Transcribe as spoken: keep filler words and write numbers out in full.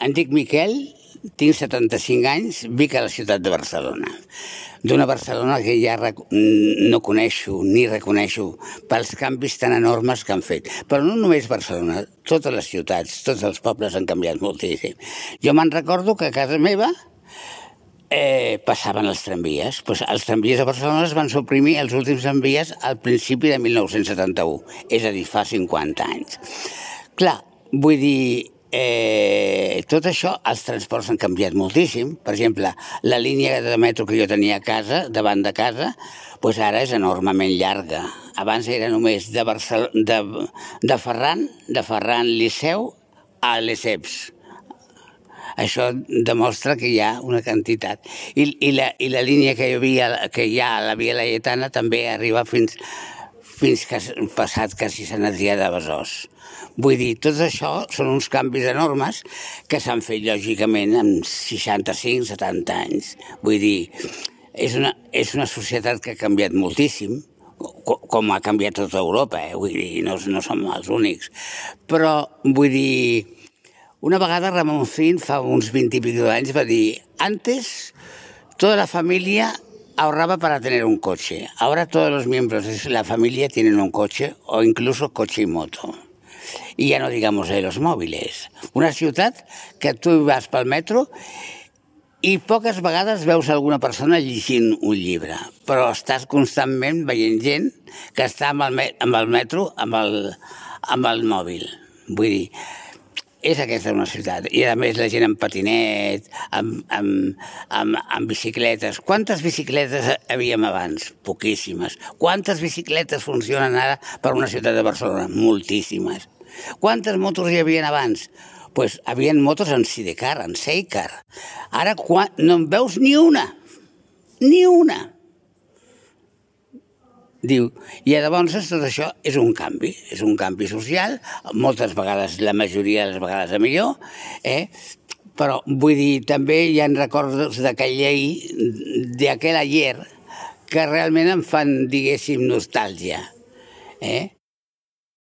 Em dic Miquel, tinc setanta-cinc anys, vic a la ciutat de Barcelona. D'una Barcelona que ja no coneixo ni reconeixo pels canvis tan enormes que han fet. Però no només Barcelona, totes les ciutats, tots els pobles han canviat moltíssim. Jo me'n recordo que a casa meva eh, passaven els tramvies. Pues els tramvies a Barcelona es van suprimir els últims tramvies al principi de mil nou-cents setanta-u, és a dir, fa cinquanta anys. Clar, vull dir, Eh, tot això, els transports han canviat moltíssim. Per exemple, la línia de metro que jo tenia a casa, davant de casa, doncs ara és enormement llarga. Abans era només de, Barcel de, de Ferran, de Ferran Liceu a Lesseps. Això demostra que hi ha una quantitat. I, i, la, i la línia que hi havia, que hi ha a la Via Laietana també arriba fins, fins que ha passat quasi Sant Adrià de Besòs. Vull dir, tot això són uns canvis enormes que s'han fet, lògicament, en seixanta-cinc setanta anys. Vull dir, és una, és una societat que ha canviat moltíssim, com ha canviat tota Europa, eh? Vull dir, no, no som els únics. Però, vull dir, una vegada Ramon Fin, fa uns vint i pico d'anys, va dir: antes, toda la familia ahorraba para tener un coche. Ahora todos los miembros de la familia tienen un coche o incluso coche y moto. I ja no digamos de los móviles. Una ciutat que tu vas pel metro i poques vegades veus alguna persona llegint un llibre, però estàs constantment veient gent que està amb el, amb el metro amb el, amb el mòbil. Vull dir, és aquesta una ciutat. I a més la gent amb patinet, amb, amb, amb, amb bicicletes. Quantes bicicletes havíem abans? Poquíssimes. Quantes bicicletes funcionen ara per una ciutat de Barcelona? Moltíssimes. Quantes motos hi havia abans? Doncs pues, hi havia motos en sidecar, en sidecar. Ara quan... no en veus ni una. Ni una. Diu, i llavors tot això és un canvi, és un canvi social, moltes vegades, la majoria de les vegades a millor, eh? Però vull dir, també hi ha records d'aquella llei, d'aquell ayer, que realment em fan, diguéssim, nostàlgia. Eh?